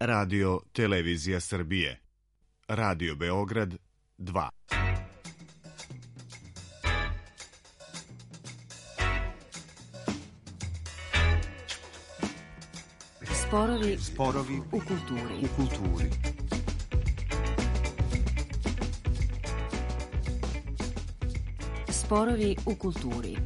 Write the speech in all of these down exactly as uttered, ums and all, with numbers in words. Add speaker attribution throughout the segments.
Speaker 1: Radio Televizija Srbije. Radio Beograd dva.
Speaker 2: Sporovi, sporovi u kulturi. U kulturi. Sporovi u kulturi.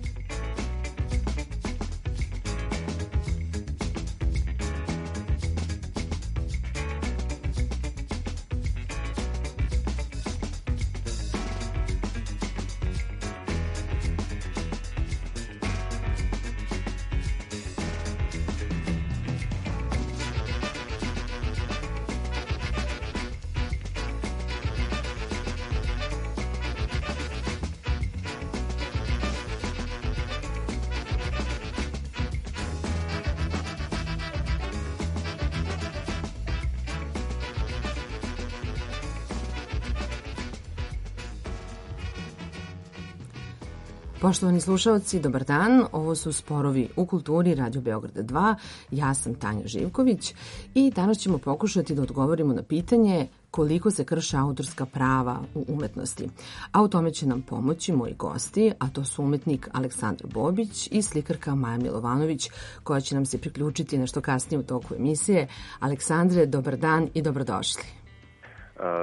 Speaker 2: Poštovani slušalci, dobar dan. Ovo su Sporovi u kulturi Radio Beograda dva. Ja sam Tanja Živković i danas ćemo pokušati da odgovorimo na pitanje koliko se krše autorska prava u umetnosti. A u tome će nam pomoći moji gosti, a to su umetnik Aleksandra Bobić i slikarka Maja Milovanović, koja će nam se priključiti nešto kasnije u toku emisije. Aleksandre, dobar dan i dobrodošli.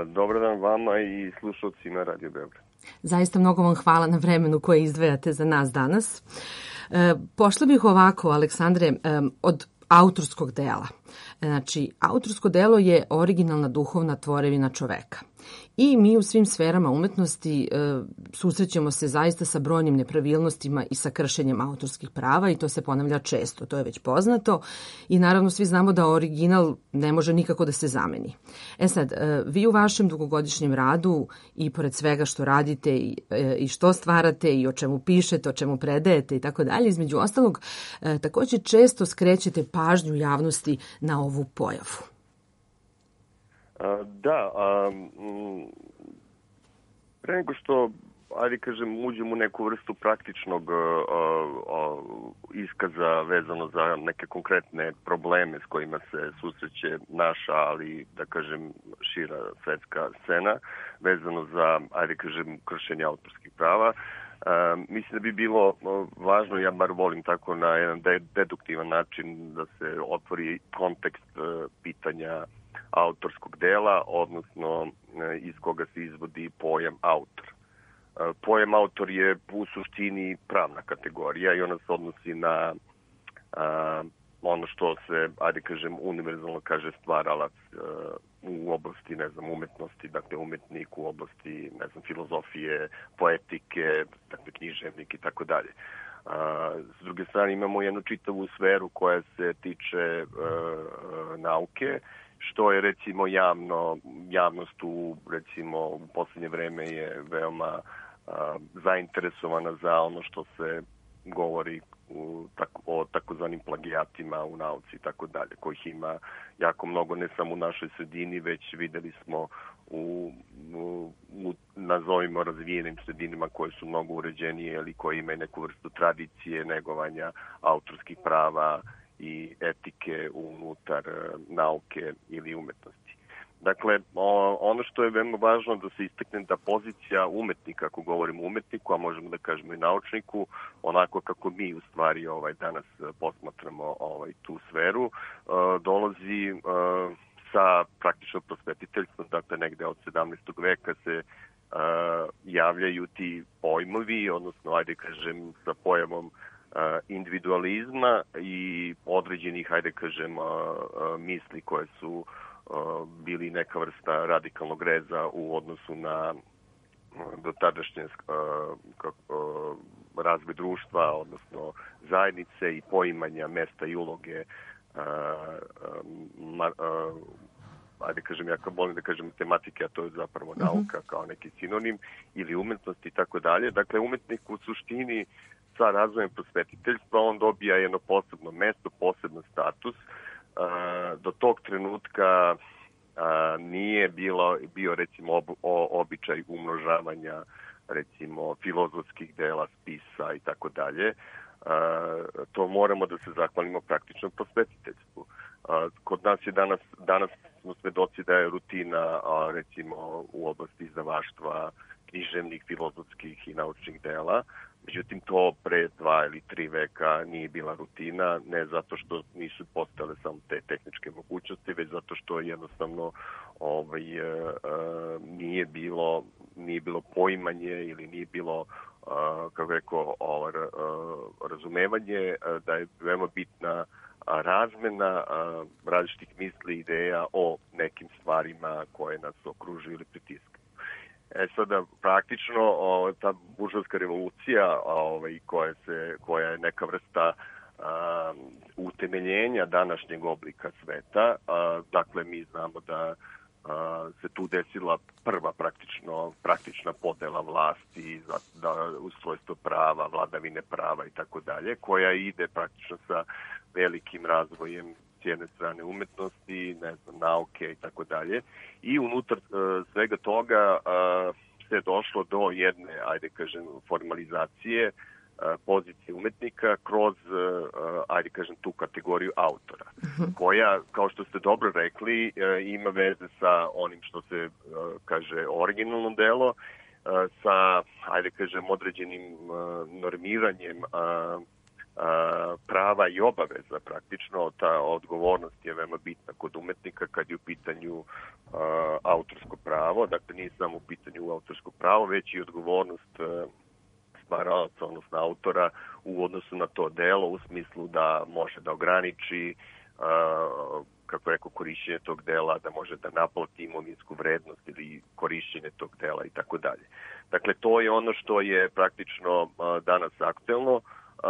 Speaker 3: Dobar dan vama i slušalcima Radio Beograd.
Speaker 2: Zaista mnogo vam hvala na vremenu koje izdvajate za nas danas. E, pošla bih ovako, Aleksandre, e, od autorskog dela. Znači, autorsko delo je originalna duhovna tvorevina čoveka. I mi u svim sferama umetnosti e, susrećemo se zaista sa brojnim nepravilnostima i sa kršenjem autorskih prava i to se ponavlja često, to je već poznato i naravno svi znamo da original ne može nikako da se zameni. E sad, e, vi u vašem dugogodišnjem radu i pored svega što radite i, e, i što stvarate i o čemu pišete, o čemu predajete i tako dalje, između ostalog, e, takođe često skrećete pažnju javnosti na ovu pojavu.
Speaker 3: Da, a, pre nego što, ajde kažem, uđem u neku vrstu praktičnog a, a, iskaza vezano za neke konkretne probleme s kojima se susreće naša, ali da kažem šira svetska scena, vezano za, ajde kažem, kršenje autorskih prava. Uh, mislim da bi bilo važno, ja bar volim tako na jedan deduktivan način da se otvori kontekst uh, pitanja autorskog dela, odnosno uh, iz koga se izvodi pojam autor. Uh, pojam autor je u suštini pravna kategorija i ona se odnosi na uh, ono što se, ajde kažem, univerzalno kaže stvaralac uh, u oblasti, ne znam, umetnosti, dakle umetnik u oblasti, ne znam, filozofije, poetike, dakle književnik i tako dalje. S druge strane imamo jednu čitavu sferu koja se tiče uh, nauke, što je recimo javno, javnost u, recimo, u poslednje vreme je veoma uh, zainteresovana za ono što se govori u, tako, o takozvanim plagijatima u nauci i tako dalje, kojih ima jako mnogo, ne samo u našoj sredini, već videli smo u, u, u nazovimo razvijenim sredinama koje su mnogo uređenije ili koje imaju neku vrstu tradicije, negovanja autorskih prava i etike unutar nauke ili umetnosti. Dakle, ono što je veoma važno da se istakne da pozicija umetnika, ako govorimo o umetniku, a možemo da kažemo i naučniku, onako kako mi u stvari ovaj, danas posmatramo ovaj, tu sferu, dolazi sa praktično prosvetiteljstvom, dakle negde od sedamnaestog veka se javljaju ti pojmovi, odnosno, ajde kažem, sa pojavom individualizma i određenih, ajde kažem, misli koje su bili neka vrsta radikalnog reza u odnosu na dotadašnje razvoj društva, odnosno zajednice i poimanja mesta i uloge, ajde kažem, ja kao volim da kažem matematike, a to je zapravo nauka kao neki sinonim, ili umetnost i tako dalje. Dakle, umetnik u suštini sa razvojem prosvetiteljstva on dobija jedno posebno mesto, posebno status. Do tog trenutka nije bilo, bio recimo ob, o, običaj umnožavanja recimo filozofskih dela, spisa i tako dalje. To moramo da se zahvalimo praktično prosvetiteljstvu. Kod nas je danas, danas smo svedoci da je rutina, recimo, u oblasti izdavaštva, književnih, filozofskih i naučnih dela. Međutim, to pre dva ili tri veka nije bila rutina, ne zato što nisu postale samo te tehničke mogućnosti, već zato što jednostavno ovaj, nije bilo, nije bilo poimanje ili nije bilo, kako rekao, ovaj, razumevanje da je veoma bitna razmena različitih misli, ideja o nekim stvarima koje nas okružuju ili pritiskaju. E sada, praktično, o, ta buržovska revolucija ovaj, koja, se, koja je neka vrsta a, utemeljenja današnjeg oblika sveta, a, dakle, mi znamo da a, se tu desila prva praktično, praktična podela vlasti, za, da, ustrojstvo prava, vladavine prava i tako dalje, koja ide praktično sa velikim razvojem s jedne strane umetnosti, ne znam, nauke i tako dalje. I unutar uh, svega toga uh, se došlo do jedne, ajde kažem, formalizacije uh, pozicije umetnika kroz, uh, ajde kažem, tu kategoriju autora, uh-huh. koja, kao što ste dobro rekli, uh, ima veze sa onim što se uh, kaže originalno delo, uh, sa, ajde kažem, određenim uh, normiranjem uh, prava i obaveza praktično. Ta odgovornost je veoma bitna kod umetnika kad je u pitanju uh, autorsko pravo, dakle nije samo u pitanju autorsko pravo, već i odgovornost uh, stvaraoca, odnosno autora u odnosu na to delo, u smislu da može da ograniči uh, kako rekao, korišćenje tog dela, da može da naplati imovinsku vrednost ili korišćenje tog dela i tako dalje. Dakle, to je ono što je praktično uh, danas aktuelno. Uh,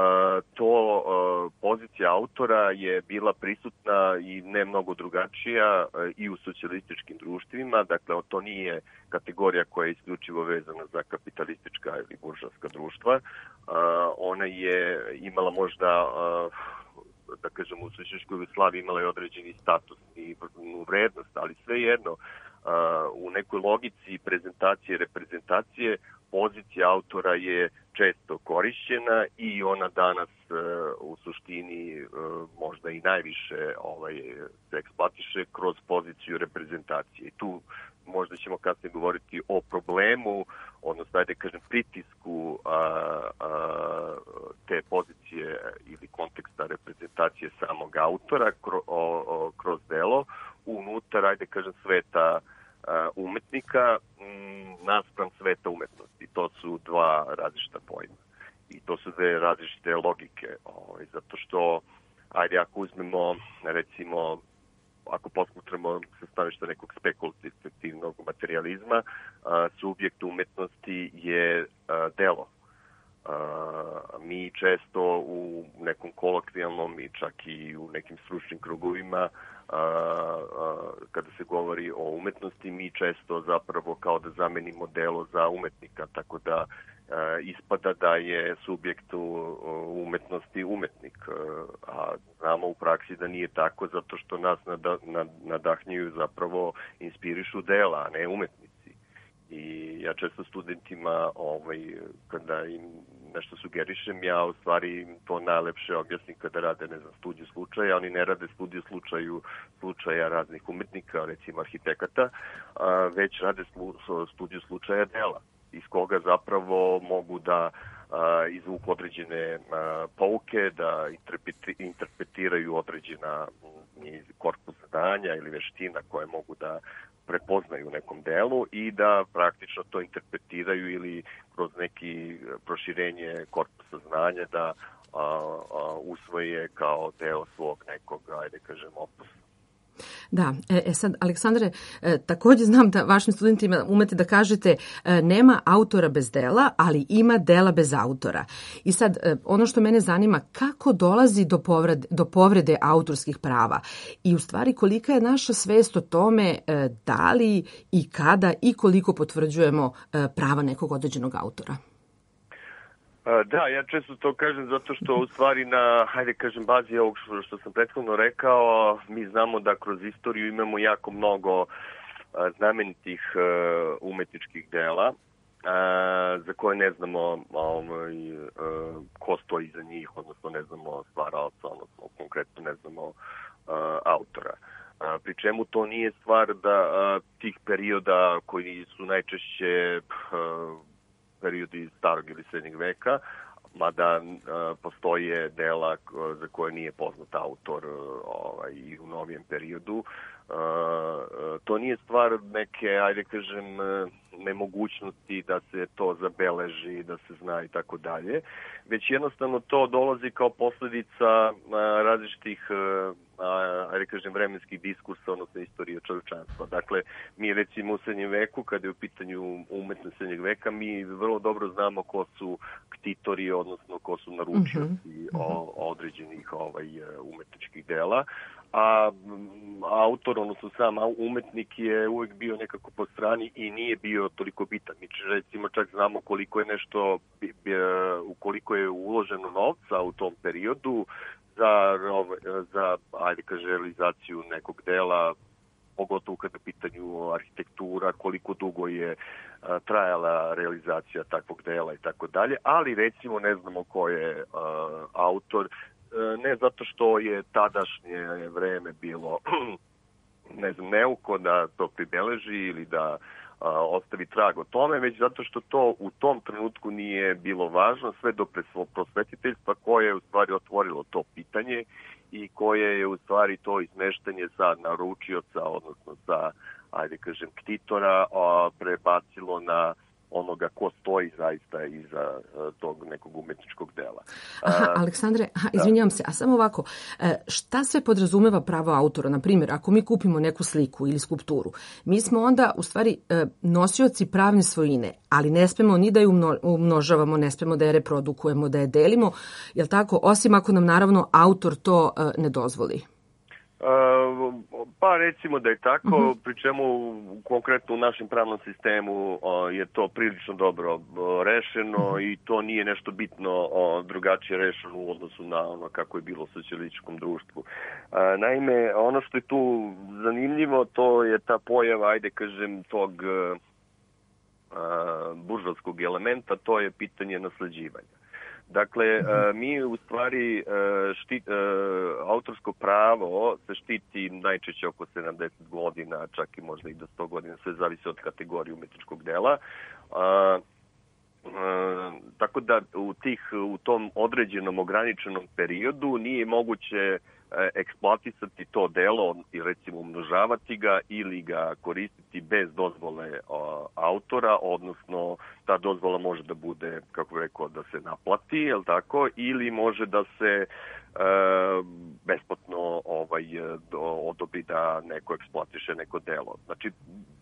Speaker 3: to uh, pozicija autora je bila prisutna i ne mnogo drugačija uh, i u socijalističkim društvima, dakle to nije kategorija koja je isključivo vezana za kapitalistička ili buržovska društva. Uh, ona je imala možda, uh, da kažem, u socijalističkoj Jugoslaviji imala je određeni status i vrednost, ali svejedno uh, u nekoj logici prezentacije i reprezentacije pozicija autora je često korišćena i ona danas uh, u suštini uh, možda i najviše ovaj, se eksploatiše kroz poziciju reprezentacije. I tu možda ćemo kasnije govoriti o problemu, odnosno, ajde kažem, pritisku a, a, te pozicije ili konteksta reprezentacije samog autora kro, o, o, kroz delo unutar, ajde kažem, sveta a, umetnika m, naspram sveta umetnosti. To su dva različita pojma. I to su dve različite logike. Ovaj, zato što, ajde, ako uzmemo, recimo, ako posmatramo sa stanovišta nekog spekulativnog materijalizma, a, subjekt umetnosti je a, delo. A, mi često u nekom kolokvijalnom i čak i u nekim stručnim krugovima, a, a, kada se govori o umetnosti, mi često zapravo kao da zamenimo delo za umetnika, tako da ispada da je subjekt u umetnosti umetnik, a znamo u praksi da nije tako, zato što nas nadahnjuju, zapravo inspirišu dela, a ne umetnici. I ja često studentima, ovaj, kada im nešto sugerišem, ja u stvari to najlepše objasnim kada rade, ne znam, studiju slučaja. Oni ne rade studiju slučaju, slučaja raznih umetnika, recimo arhitekata, već rade studiju slučaja dela, iz koga zapravo mogu da a, izvuku određene a, pouke, da interpretiraju određena m, korpus znanja ili veština koje mogu da prepoznaju u nekom delu i da praktično to interpretiraju ili kroz neki proširenje korpusa znanja da a, a, usvoje kao deo svog nekog, ajde kažem, opusa.
Speaker 2: Da, e sad, Aleksandre, e, takođe znam da vašim studentima umete da kažete e, nema autora bez dela, ali ima dela bez autora. I sad, e, ono što mene zanima, kako dolazi do povrede, do povrede autorskih prava i u stvari kolika je naša svest o tome e, da li i kada i koliko potvrđujemo e, prava nekog određenog autora?
Speaker 3: Da, ja često to kažem zato što u stvari na, hajde kažem, bazi ovog što sam prethodno rekao, mi znamo da kroz istoriju imamo jako mnogo znamenitih umetničkih dela a, za koje ne znamo ovaj, a, ko stoji iza njih, odnosno ne znamo stvaraoca, odnosno konkretno ne znamo a, autora. A, pri čemu to nije stvar da a, tih perioda koji su najčešće a, periodi starog ili srednjeg veka, mada a, postoje dela za koje nije poznat autor ovaj, i u novijem periodu. A, to nije stvar neke, ajde kažem, nemogućnosti da se to zabeleži, da se zna i tako dalje, već jednostavno to dolazi kao posledica a, različitih a, ajde kažem, vremenskih diskursa, odnosno istorije čovječanstva. Dakle, mi recimo u srednjem veku, kada je u pitanju umetnost srednjeg veka, mi vrlo dobro znamo ko su ktitori, odnosno ko su naručioci mm-hmm. o, određenih ovaj, umetničkih dela, a autor, odnosno sam umetnik je uvek bio nekako po strani i nije bio toliko bitan. Mi recimo čak znamo koliko je nešto, koliko je uloženo novca u tom periodu za, za ajde kaže, realizaciju nekog dela, pogotovo kada je pitanju arhitektura, koliko dugo je a, trajala realizacija takvog dela i tako dalje, ali recimo ne znamo ko je a, autor, ne zato što je tadašnje vreme bilo ne znam, neuko da to pribeleži ili da a, ostavi trag o tome, već zato što to u tom trenutku nije bilo važno, sve do prosvetiteljstva koje je u stvari otvorilo to pitanje i koje je u stvari to izmeštanje sa naručioca, odnosno sa, ajde kažem, ktitora, a, prebacilo na onoga ko stoji zaista iza tog nekog umetničkog dela.
Speaker 2: Aha, Aleksandre, aha, izvinjavam se, a samo ovako, šta sve podrazumeva pravo autora? Na primjer, ako mi kupimo neku sliku ili skulpturu, mi smo onda u stvari nosioci pravne svojine, ali ne smemo ni da je umnožavamo, ne smemo da je reprodukujemo, da je delimo, jel tako, osim ako nam naravno autor to ne dozvoli?
Speaker 3: Uh, pa recimo da je tako, uh-huh. pri čemu konkretno u našem pravnom sistemu uh, je to prilično dobro uh, rešeno uh-huh. i to nije nešto bitno uh, drugačije rešeno u odnosu na ono kako je bilo u socijalističkom društvu. Uh, naime, ono što je tu zanimljivo, to je ta pojava, ajde kažem, tog uh, uh, buržovskog elementa, to je pitanje nasleđivanja. Dakle, mi u stvari štit, autorsko pravo se štiti najčešće oko sedamdeset godina, čak i možda i do sto godina, sve zavisi od kategorije umetničkog dela. A, a, tako da u, tih, u tom određenom ograničenom periodu nije moguće eksploatisati to delo i recimo umnožavati ga ili ga koristiti bez dozvole o, autora, odnosno ta dozvola može da bude, kako bih rekao, da se naplati, jel tako, ili može da se e, besplatno ovaj, do, odobri da neko eksploatiše neko delo. Znači,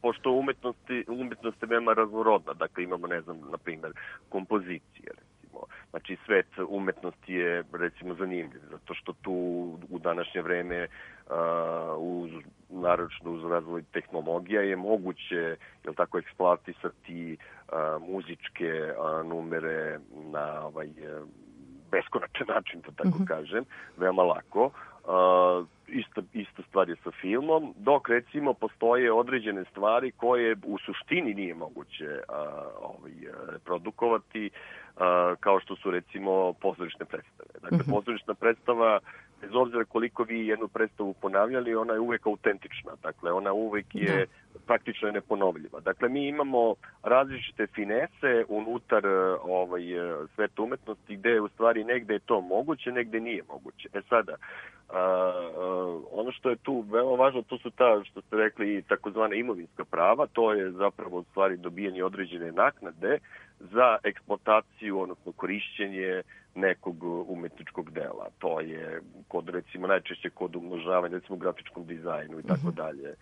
Speaker 3: pošto umetnosti, umetnost je veoma raznorodna, dakle imamo, ne znam, na primjer, kompozicije, znači svet umetnosti je recimo zanimljiv, zato što tu u današnje vreme uh, uz, naročno uz razvoj tehnologija je moguće, jel tako, eksploatisati uh, muzičke uh, numere na ovaj uh, beskonačan način, da tako mm-hmm. kažem, veoma lako. Uh, isto, isto stvar je sa filmom, dok recimo postoje određene stvari koje u suštini nije moguće uh, ovaj, reprodukovati, uh, kao što su recimo pozorišne predstave. Dakle, mm-hmm. pozorišna predstava, bez obzira koliko vi jednu predstavu ponavljali, ona je uvek autentična. Dakle, ona uvek je da. praktično je neponovljiva. Dakle, mi imamo različite finese unutar ovaj, sveta umetnosti gde u stvari negde je to moguće, negde nije moguće. E sada, Uh, uh, ono što je tu veoma važno, to su ta, što ste rekli, takozvana imovinska prava, to je zapravo u stvari dobijanje određene naknade za eksploataciju, odnosno korišćenje nekog umetničkog dela. To je kod, recimo, najčešće kod umnožavanja, recimo u grafičkom dizajnu i tako dalje,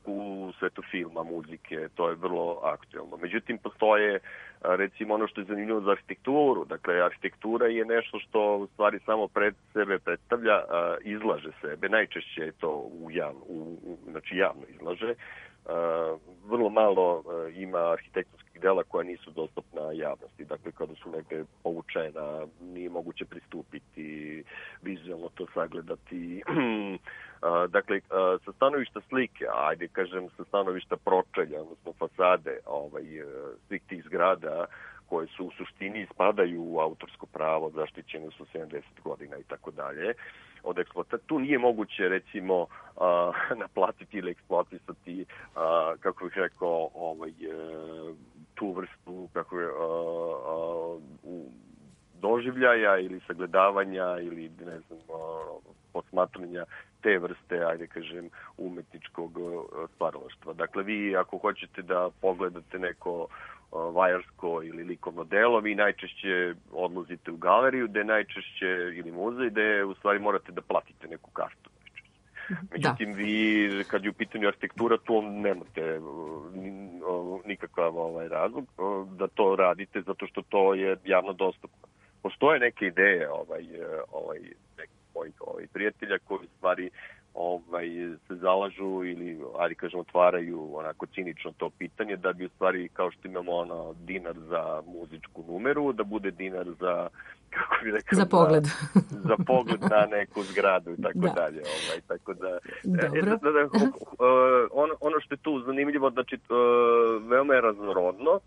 Speaker 3: u svetu filma, muzike, to je vrlo aktuelno. Međutim, postoje, recimo, ono što je zanimljivo za arhitekturu. Dakle, arhitektura je nešto što u stvari samo pred sebe predstavlja, izlaže sebe. Najčešće je to u javno, u, znači javno izlaže. Uh, vrlo malo uh, ima arhitektonskih dela koja nisu dostupna javnosti. Dakle, kada su negde povučena, nije moguće pristupiti, vizualno to sagledati. Dakle, sa stanovišta slike, ajde kažem sa stanovišta pročelja, odnosno fasade ovaj, svih tih zgrada koje su u suštini spadaju u autorsko pravo, zaštićene su sedamdeset godina i tako dalje. Od eksploata tu nije moguće recimo a, naplatiti ili eksploatisati, a, kako bih rekao, ovaj, tu vrstu kako je, a, a, u, doživljaja ili sagledavanja ili ne znam, posmatranja te vrste, ajde kažem, umetničkog stvaralaštva. Dakle, vi ako hoćete da pogledate neko vajarsko ili likovno delo, vi najčešće odlazite u galeriju, gde najčešće, ili muzej, gde u stvari morate da platite neku kartu. Međutim, da. Vi, kad je u pitanju arhitektura, tu nemate nikakav ovaj razlog da to radite, zato što to je javno dostupno. Postoje neke ideje ovaj, ovaj, nekih mojih ovaj, prijatelja koji stvari ovaj, se zalažu ili, ali kažem, otvaraju onako cinično to pitanje da bi u stvari, kao što imamo ono, dinar za muzičku numeru, da bude dinar za, kako bi rekao,
Speaker 2: za pogled.
Speaker 3: Za, za pogled na neku zgradu i tako da. dalje. Ovaj, tako da,
Speaker 2: Dobro.
Speaker 3: E, da, da, ono, ono što je tu zanimljivo, znači, veoma je raznorodno.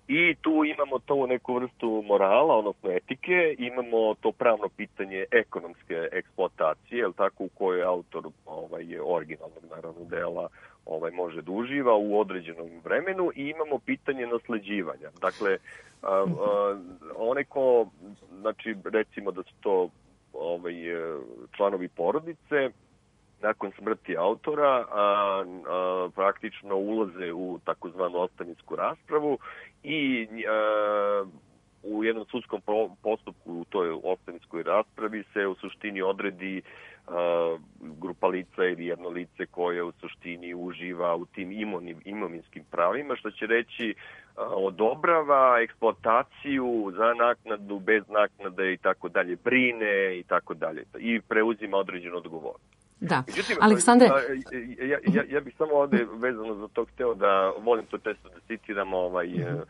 Speaker 3: I tu imamo to neku vrstu morala, odnosno etike, imamo to pravno pitanje ekonomske eksploatacije, jel tako, u kojoj autor ovaj, originalnog naravno dela ovaj, može da uživa u određenom vremenu, i imamo pitanje nasleđivanja. Dakle, a, a, onaj ko, znači recimo da su to ovaj, članovi porodice, nakon smrti autora a, a, praktično ulaze u takozvanu ostavinsku raspravu i a, u jednom sudskom postupku u toj ostavinskoj raspravi se u suštini odredi a, grupa lica ili jedno lice koje u suštini uživa u tim imonim, imovinskim pravima, što će reći a, odobrava eksploataciju za naknadu, bez naknade i tako dalje, brine i tako dalje i preuzima određenu odgovornost.
Speaker 2: Da.
Speaker 3: Međutim,
Speaker 2: Aleksandre...
Speaker 3: Ja, ja, ja bih samo ovde vezano za to hteo da volim to često da citiram ovaj, mm-hmm.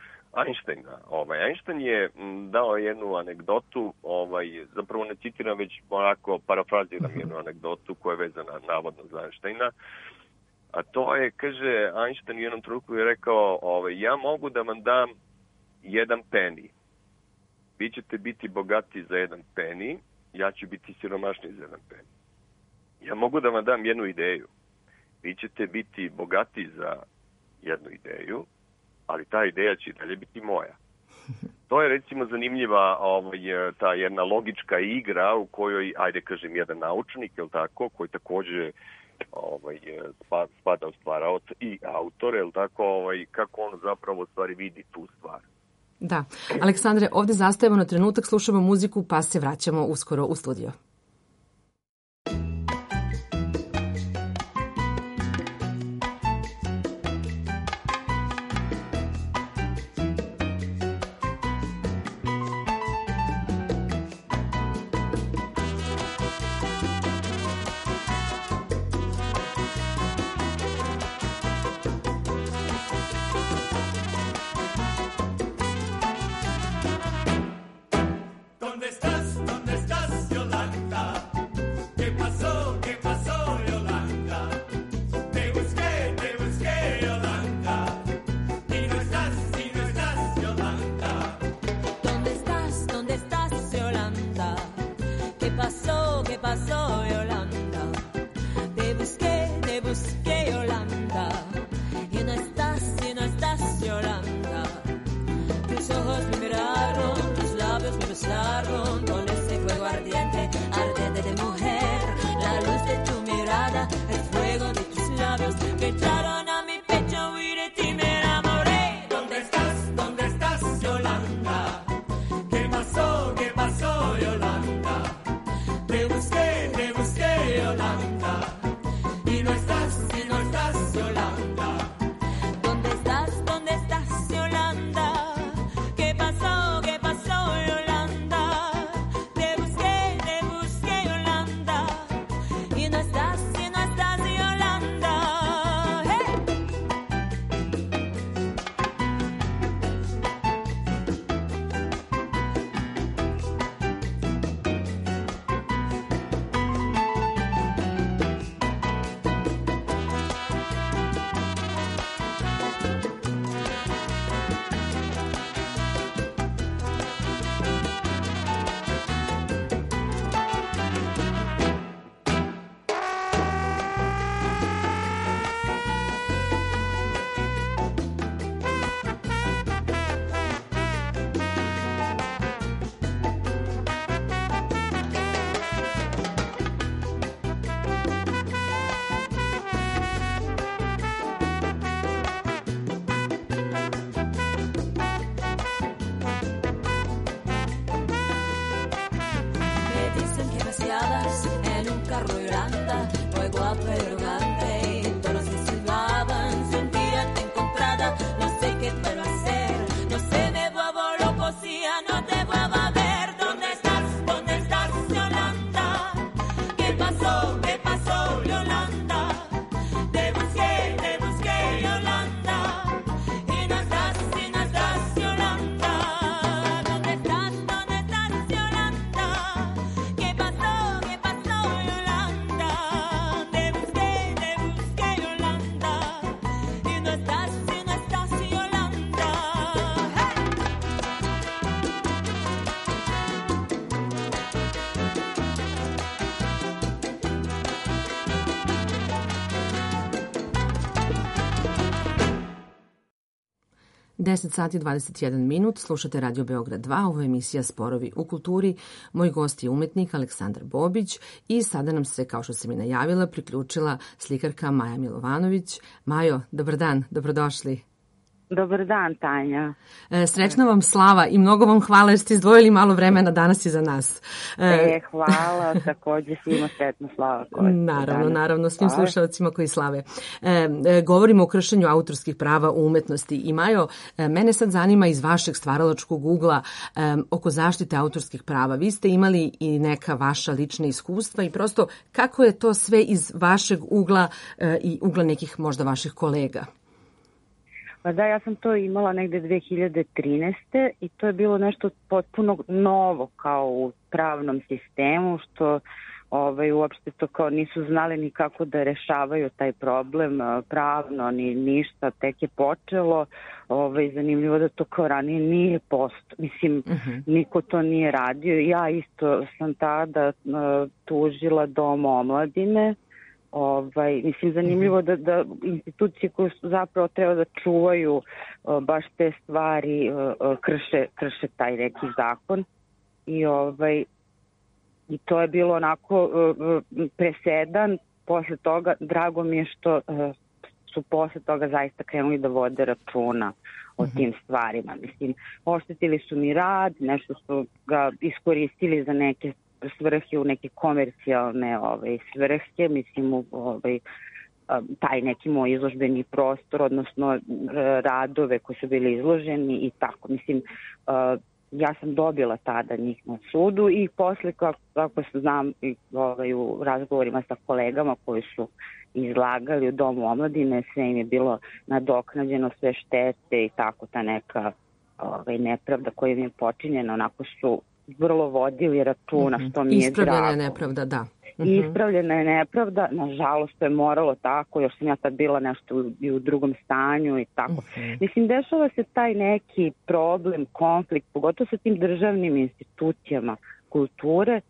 Speaker 3: Einsteina. Ovaj, Einstein je dao jednu anegdotu, ovaj, zapravo ne citiram, već onako parafraziram mm-hmm. jednu anegdotu koja je vezana navodno za Einsteina. A to je, kaže, Einstein u jednom trenutku je rekao, ovaj, ja mogu da vam dam jedan peni. Vi ćete biti bogati za jedan peni, ja ću biti siromašniji za jedan peni. Ja mogu da vam dam jednu ideju. Vi ćete biti bogati za jednu ideju, ali ta ideja će dalje biti moja. To je recimo zanimljiva ovaj, ta jedna logička igra u kojoj, ajde kažem, jedan naučnik, je li tako, koji takođe ovaj, spada u stvaraoc i autor, je li tako, ovaj, kako on zapravo stvari vidi tu stvar.
Speaker 2: Da. Aleksandre, ovde zastajemo na trenutak, slušamo muziku, pa se vraćamo uskoro u studio. deset sati dvadeset jedan minut, slušate Radio Beograd dva, ovo je emisija Sporovi u kulturi. Moj gost je umetnik Aleksandar Bobić i sada nam se, kao što sam i najavila, priključila slikarka Maja Milovanović. Majo, dobar dan, dobrodošli.
Speaker 4: Dobar dan, Tanja.
Speaker 2: E, srećna vam slava i mnogo vam hvala jer ste izdvojili malo vremena danas i za nas.
Speaker 4: E, e hvala, takođe svima sretna slava.
Speaker 2: Naravno, naravno, svim slušalcima koji slave. E, e, govorimo o kršenju autorskih prava u umetnosti. I Majo, e, mene sad zanima iz vašeg stvaralačkog ugla e, oko zaštite autorskih prava. Vi ste imali i neka vaša lična iskustva i prosto kako je to sve iz vašeg ugla e, i ugla nekih možda vaših kolega?
Speaker 4: Pa da, ja sam to imala negde dve hiljade trinaeste. i to je bilo nešto potpuno novo kao u pravnom sistemu, što ovaj, uopšte to kao nisu znali ni kako da rešavaju taj problem pravno, ni ništa, tek je počelo. Ovaj, zanimljivo da to kao ranije nije posto. Mislim, uh-huh. niko to nije radio. Ja isto sam tada uh, tužila Dom omladine. Ovaj, mislim, zanimljivo da, da institucije koje su zapravo treba da čuvaju uh, baš te stvari uh, krše, krše taj neki zakon i, ovaj, i to je bilo onako uh, presedan. Posle toga drago mi je što uh, su posle toga zaista krenuli da vode računa o tim stvarima. Mislim, oštetili su mi rad, nešto su ga iskoristili za neke svrhe, u neke komercijalne ovaj, svrhe, mislim u ovaj, taj neki moj izložbeni prostor, odnosno radove koji su bili izloženi i tako. Mislim, ja sam dobila tada njih na sudu i posle, kako, kako znam ovaj, u razgovorima sa kolegama koji su izlagali u Domu omladine, sve im je bilo nadoknađeno, sve štete i tako, ta neka ovaj, nepravda koja im je počinjena, onako su vrlo vodili računa, mm-hmm. što mi je drago.
Speaker 2: Ispravljena je nepravda, da.
Speaker 4: Mm-hmm. Ispravljena je nepravda, nažalost to je moralo tako, još sam ja tad bila nešto u, i u drugom stanju i tako. Mm-hmm. Mislim, dešava se taj neki problem, konflikt, pogotovo sa tim državnim institucijama kulture,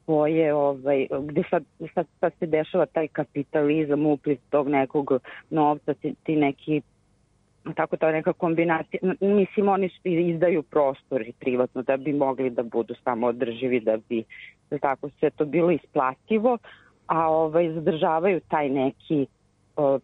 Speaker 4: koje, ovaj, gde sad, sad, sad se dešava taj kapitalizam, upliv tog nekog novca, ti, ti neki tako ta neka kombinacija, mislim oni izdaju prostor i privatno da bi mogli da budu samo održivi, da bi da tako sve to bilo isplativo, a ovaj zadržavaju taj neki o,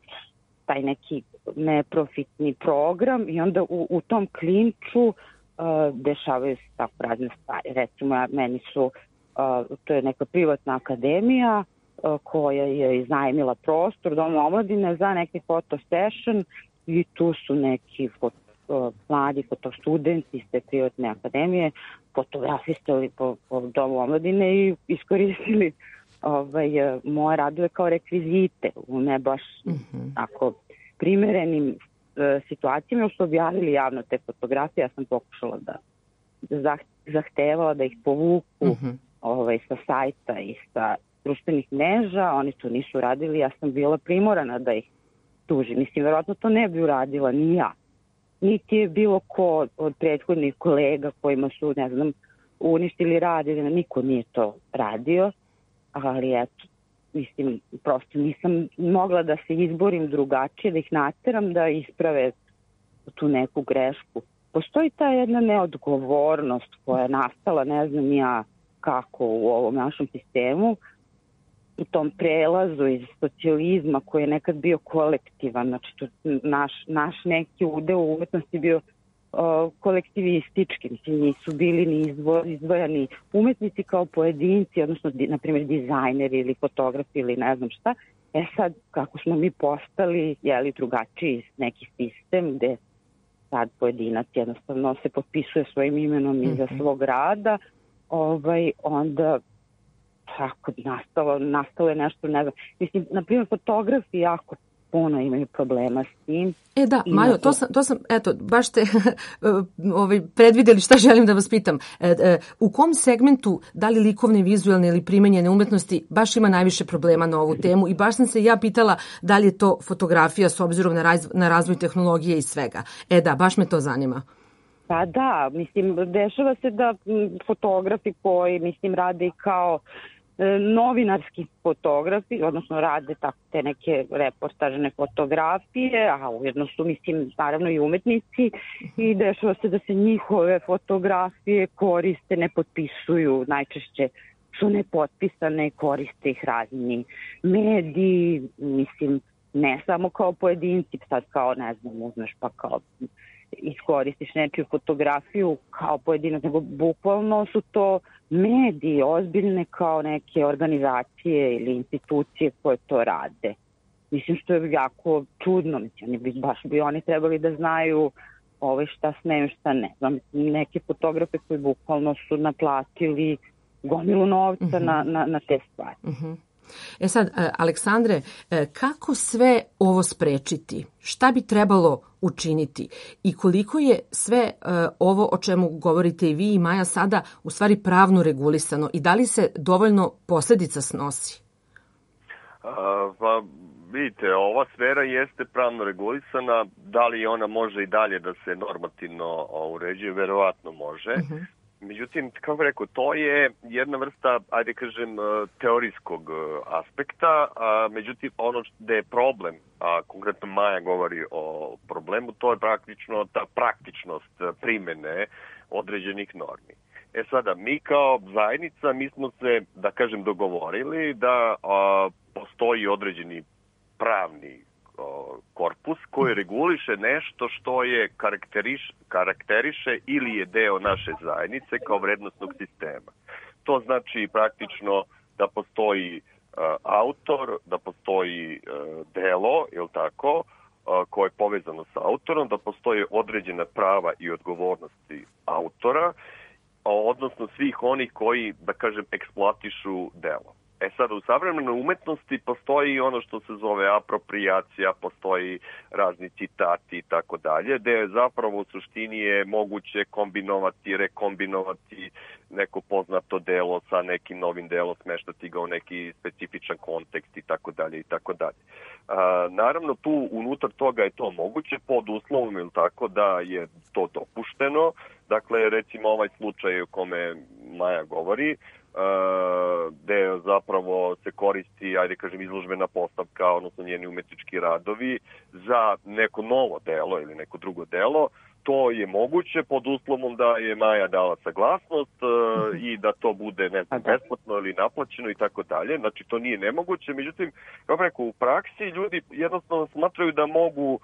Speaker 4: taj neki neprofitni program i onda u, u tom klinču o, dešavaju se tako razne stvari. Recimo, ja, meni su o, to je neka privatna akademija o, koja je iznajmila prostor Doma omladine za neki photo session i tu su neki fot, uh, mladi fotostudenti iz te privatne akademije fotografisali po, po Domu omladine i iskoristili ovaj, uh, moje radove kao rekvizite u ne baš mm-hmm. tako primerenim uh, situacijama. Još su objavili javno te fotografije, ja sam pokušala da, da zahtevala da ih povuku mm-hmm. ovaj, sa sajta i sa društvenih mreža, oni to nisu radili, ja sam bila primorana da ih tuži. Mislim, verovatno to ne bi uradila ni ja. Niti je bilo ko od prethodnih kolega kojima su, ne znam, uništili rad ili niko nije to radio, ali eto, mislim, prosto nisam mogla da se izborim drugačije, da ih nateram da isprave tu neku grešku. Postoji ta jedna neodgovornost koja je nastala, ne znam ja kako u ovom našem sistemu, u tom prelazu iz socijalizma koji je nekad bio kolektivan, znači to naš, naš neki udeo u umetnosti bio uh, kolektivistički, mislim nisu bili ni izvo, izdvojani umetnici kao pojedinci, odnosno di, na primjer dizajneri ili fotografi ili ne znam šta. E sad, kako smo mi postali, jeli drugačiji neki sistem gde sad pojedinac jednostavno se potpisuje svojim imenom mm-hmm. iza svog rada, ovaj, onda tako nastalo, nastalo je nešto, ne znam, mislim, na primjer, fotografi jako puno imaju problema s tim.
Speaker 2: E da, Majo, to sam, to sam, eto, baš ste ovaj, predvideli šta želim da vas pitam. E, e, u kom segmentu, da li likovne, vizualne ili primenjene umetnosti, baš ima najviše problema na ovu temu i baš sam se ja pitala da li je to fotografija s obzirom na, raz, na razvoj tehnologije i svega. E da, baš me to zanima.
Speaker 4: Pa da, mislim, dešava se da fotografi koji, mislim, rade i kao novinarski fotografi, odnosno rade tako te neke reportažne fotografije, a ujedno su, mislim, naravno i umetnici i dešava se da se njihove fotografije koriste, ne potpisuju, najčešće su nepotpisane, koriste ih razni mediji, mislim, ne samo kao pojedinci, sad kao, ne znam, uzmeš pa kao iskoristiš nečiju fotografiju kao pojedinac, nego bukvalno su to mediji ozbiljne kao neke organizacije ili institucije koje to rade. Mislim što je jako čudno, mislim, oni bi, baš bi oni trebali da znaju ove šta smeju, šta ne. Znam, neke fotografe koji bukvalno su naplatili gomilu novca uh-huh. na, na, na te stvari.
Speaker 2: Uh-huh. E sad, Aleksandre, kako sve ovo sprečiti? Šta bi trebalo učiniti? I koliko je sve ovo o čemu govorite i vi i Maja sada u stvari pravno regulisano? I da li se dovoljno posledica snosi?
Speaker 3: A, pa, vidite, ova sfera jeste pravno regulisana. Da li ona može i dalje da se normativno uređuje? Verovatno može. Uh-huh. Međutim, kako bih rekao, to je jedna vrsta, ajde kažem, teorijskog aspekta, a, međutim, ono gde je problem, a konkretno Maja govori o problemu, to je praktično ta praktičnost primene određenih normi. E sada, mi kao zajednica, mi smo se, da kažem, dogovorili da a, postoji određeni pravni korpus koji reguliše nešto što je karakteriš, karakteriše ili je deo naše zajednice kao vrednostnog sistema. To znači praktično da postoji uh, autor, da postoji uh, delo, je li tako, uh, koje je povezano sa autorom, da postoje određena prava i odgovornosti autora, odnosno svih onih koji, da kažem, eksploatišu delo. E sad, u savremenoj umetnosti postoji ono što se zove aproprijacija, postoji razni citati i tako dalje, gde je zapravo u suštini je moguće kombinovati, rekombinovati neko poznato delo sa nekim novim delom, smeštati ga u neki specifičan kontekst i tako dalje i tako dalje. Naravno, tu unutar toga je to moguće pod uslovom, ili tako, da je to dopušteno. Dakle, recimo ovaj slučaj o kome Maja govori, Uh, gde zapravo se koristi, ajde kažem, izložbena postavka, odnosno njeni umetnički radovi za neko novo delo ili neko drugo delo, to je moguće pod uslovom da je Maja dala saglasnost uh, i da to bude, ne znam, besplatno ili naplaćeno i tako dalje. Znači, to nije nemoguće. Međutim, kako rekao, u praksi ljudi jednostavno smatraju da mogu,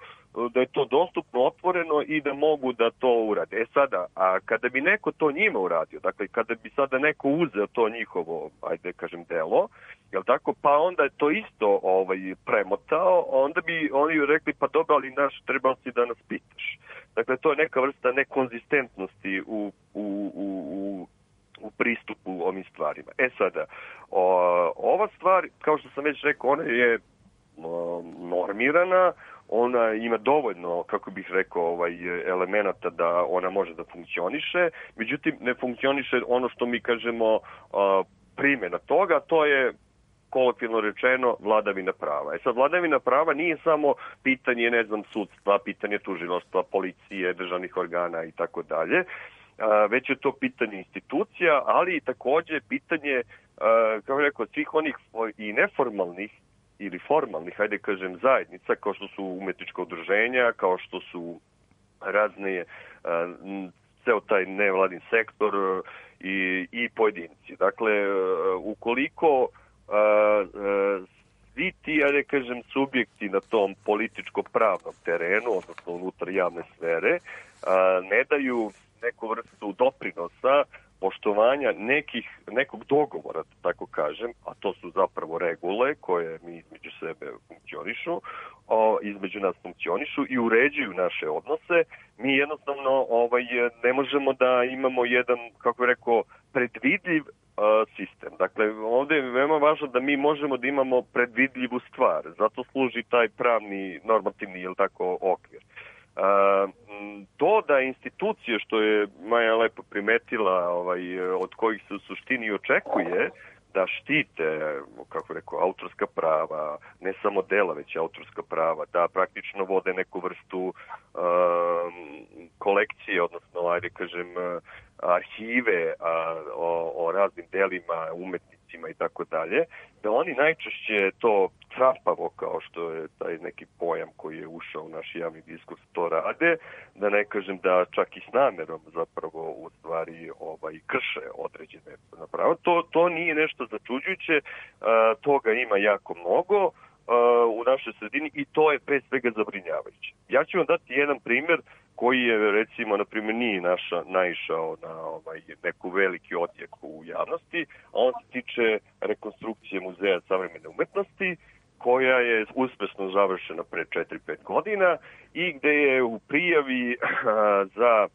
Speaker 3: da je to dostupno, otvoreno i da mogu da to urade. E sada, a kada bi neko to njima uradio, dakle, kada bi sada neko uzeo to njihovo, ajde kažem, delo, jel tako, pa onda je to isto ovaj, premotao, onda bi oni rekli, pa dobro, ali naš, trebao si da nas pitaš. Dakle, to je neka vrsta nekonzistentnosti u, u, u, u pristupu ovim stvarima. E sada, o, ova stvar, kao što sam već rekao, ona je o, normirana, ona ima dovoljno, kako bih rekao, ovaj, elemenata da ona može da funkcioniše, međutim, ne funkcioniše ono što mi kažemo o, primjena toga, to je kolokvijalno rečeno vladavina prava. E sad, vladavina prava nije samo pitanje, ne znam, sudstva, pitanje tužilaštva, policije, državnih organa i tako dalje, već je to pitanje institucija, ali i takođe pitanje, kako rekao, svih onih i neformalnih ili formalnih, hajde kažem, zajednica, kao što su umetnička udruženja, kao što su razne, ceo taj nevladin sektor i, i pojedinci. Dakle, ukoliko Uh, uh, svi ti, ja ne kažem, subjekti na tom političko-pravnom terenu, odnosno unutar javne sfere, uh, ne daju neku vrstu doprinosa poštovanja nekih, nekog dogovora, tako kažem, a to su zapravo regule koje mi između sebe funkcionišu, o, između nas funkcionišu i uređuju naše odnose, mi jednostavno ovaj, ne možemo da imamo jedan, kako bih rekao, predvidljiv sistem. Dakle, ovdje je veoma važno da mi možemo da imamo predvidljivu stvar. Zato služi taj pravni, normativni, ili tako, okvir. Uh, to da institucije, što je Maja lepo primetila, ovaj, od kojih se u suštini očekuje da štite, kako rekao, autorska prava, ne samo dela, već autorska prava, da praktično vode neku vrstu uh, kolekcije, odnosno, ajde kažem, arhive a, o, o raznim delima, umetnicima i tako dalje, da oni najčešće to trapavo, kao što je taj neki pojam koji je ušao u naš javni diskurs, to rade, da ne kažem da čak i s namerom zapravo u stvari ovaj, krše određene napravo. To, to nije nešto začuđujuće, a, toga ima jako mnogo u našoj sredini i to je pre svega zabrinjavajuće. Ja ću vam dati jedan primjer koji je, recimo, na primjer, nije naša, naišao na ovaj, neku veliki odjek u javnosti, a on se tiče rekonstrukcije Muzeja savremene umetnosti, koja je uspešno završena pre četiri pet godina i gde je u prijavi za,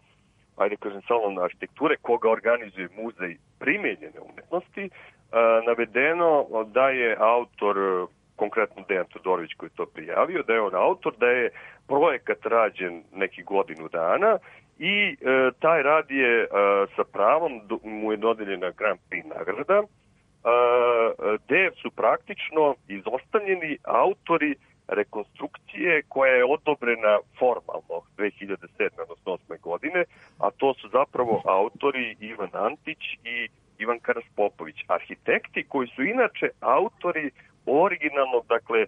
Speaker 3: ajde kažem, salon arhitekture, koga organizuje Muzej primenjene umetnosti, navedeno da je autor, konkretno Dejan Todorović koji je to prijavio, da je on autor, da je projekat rađen neki godinu dana i e, taj rad je e, sa pravom do, mu je dodeljena Grand Prix nagrada, e, gde su praktično izostavljeni autori rekonstrukcije koja je odobrena formalno dve hiljade sedme odnosno osme godine, a to su zapravo autori Ivan Antić i Ivan Karas Popović, arhitekti koji su inače autori originalnog, dakle,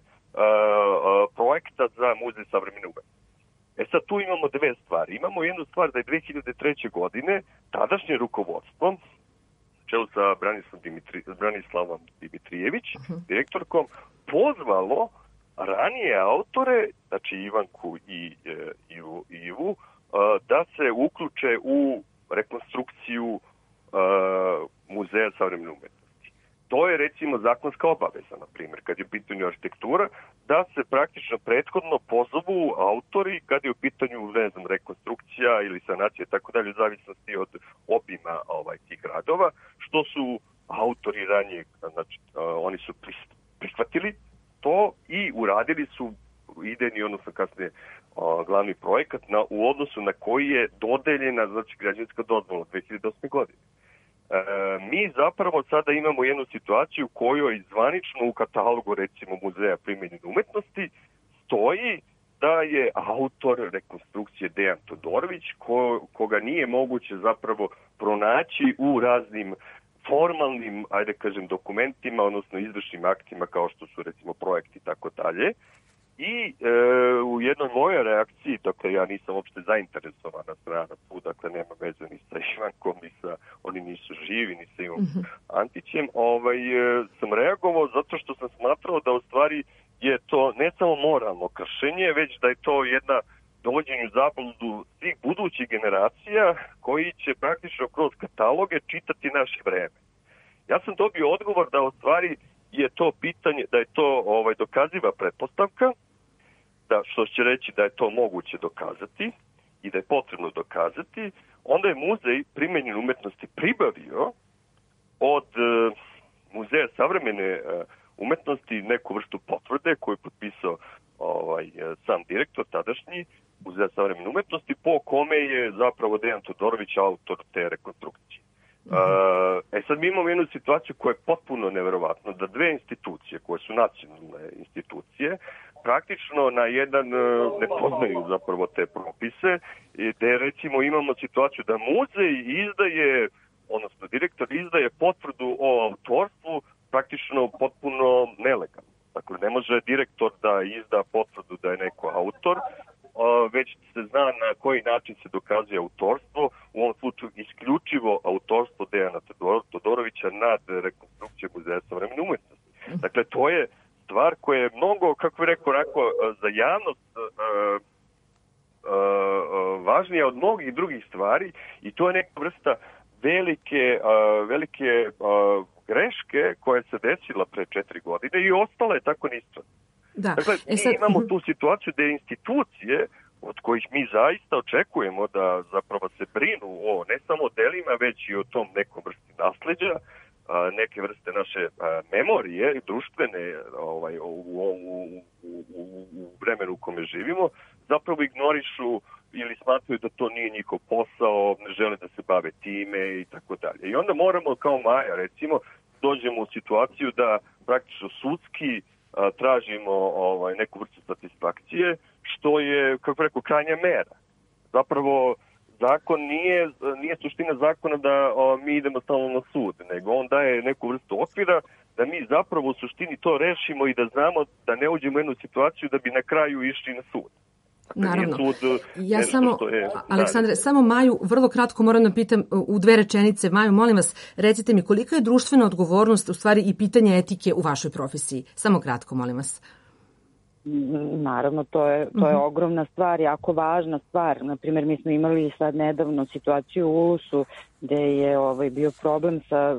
Speaker 3: projekta za Muzej savremene umetnosti. E sad tu imamo dve stvari. Imamo jednu stvar da je dve hiljade treće. godine tadašnje rukovodstvo, čelu sa Branislavom, Dimitri, Branislavom Dimitrijević, direktorkom, pozvalo ranije autore, znači Ivanku i e, Ivu, Ivu, da se uključe u rekonstrukciju e, Muzeja savremene umetnosti. To je, recimo, zakonska obaveza, na primjer, kad je u pitanju arhitektura, da se praktično prethodno pozovu autori kad je u pitanju, ne znam, rekonstrukcija ili sanacija, tako dalje, u zavisnosti od obima ovaj, tih gradova, što su autori ranije, znači, oni su prihvatili to i uradili su idejni, odnosno kasnije glavni projekat na, u odnosu na koji je dodeljena, znači, građevinska dozvola dve hiljade osme. godine. E, mi zapravo sada imamo jednu situaciju u kojoj zvanično u katalogu, recimo, Muzeja primenjene umetnosti stoji da je autor rekonstrukcije Dejan Todorović, ko, koga nije moguće zapravo pronaći u raznim formalnim, ajde kažem, dokumentima, odnosno izvršnim aktima kao što su, recimo, projekti i tako dalje. I e, u jednoj mojoj reakciji, dakle, ja nisam uopšte zainteresovana strana tu, dakle, nema veze ni sa Ivankom, ni sa, oni nisu živi, ni sa Ivom mm-hmm. Antićem, ovaj, e, sam reagovao zato što sam smatrao da u stvari je to ne samo moralno kršenje, već da je to jedna dovođenju zabludu svih budućih generacija koji će praktično kroz kataloge čitati naše vreme. Ja sam dobio odgovor da u stvari je to pitanje, da je to ovaj, dokaziva pretpostavka, da, što će reći da je to moguće dokazati i da je potrebno dokazati, onda je Muzej primenjene umetnosti pribavio od e, Muzeja savremene e, umetnosti neku vrstu potvrde koju je potpisao ovaj, sam direktor tadašnji Muzeja savremene umetnosti, po kome je zapravo Dejan Todorović autor te rekonstrukcije. Uh, e sad mi imamo jednu situaciju koja je potpuno neverovatna, da dve institucije koje su nacionalne institucije praktično na jedan uh, ne poznaju zapravo te propise i da recimo imamo situaciju da muzej izdaje, odnosno direktor izdaje potvrdu o autorstvu praktično potpuno nelegalno. Dakle, ne može direktor da izda potvrdu da je neko autor, već se zna na koji način se dokazuje autorstvo, u ovom slučaju isključivo autorstvo Dejana Todorovića nad rekonstrukcijom Muzeja savremene umetnosti. Dakle, to je stvar koja je mnogo, kako bih rekao, rekao za javnost uh, uh, važnija od mnogih drugih stvari i to je neka vrsta velike, uh, velike uh, greške koja se desila pre četiri godine i ostala je tako nistvana. Da. Dakle, mi e sad... imamo tu situaciju da institucije od kojih mi zaista očekujemo da zapravo se brinu o ne samo delima, već i o tom nekom vrsti nasleđa, neke vrste naše memorije, društvene ovaj, u, u, u, u, u vremenu u kome živimo, zapravo ignorišu ili smatraju da to nije njihov posao, ne žele da se bave time i tako dalje. I onda moramo kao Maja, recimo, dođemo u situaciju da praktično sudski a, tražimo ovaj, neku vrstu satisfakcije, što je, kako rekao, krajnja mera. Zapravo, zakon nije, nije suština zakona da o, mi idemo stalno na sud, nego on daje neku vrstu okvira da mi zapravo u suštini to rešimo i da znamo da ne uđemo u jednu situaciju da bi na kraju išli na sud.
Speaker 2: Naravno. Ja samo, Aleksandre, samo Maju, vrlo kratko moram da pitam u dve rečenice. Maju, molim vas, recite mi kolika je društvena odgovornost, u stvari i pitanje etike u vašoj profesiji? Samo kratko, molim vas.
Speaker 4: Naravno, to je, to je uh-huh. ogromna stvar, jako važna stvar. Naprimjer, mi smo imali sad nedavno situaciju u Ulusu gde je ovaj, bio problem sa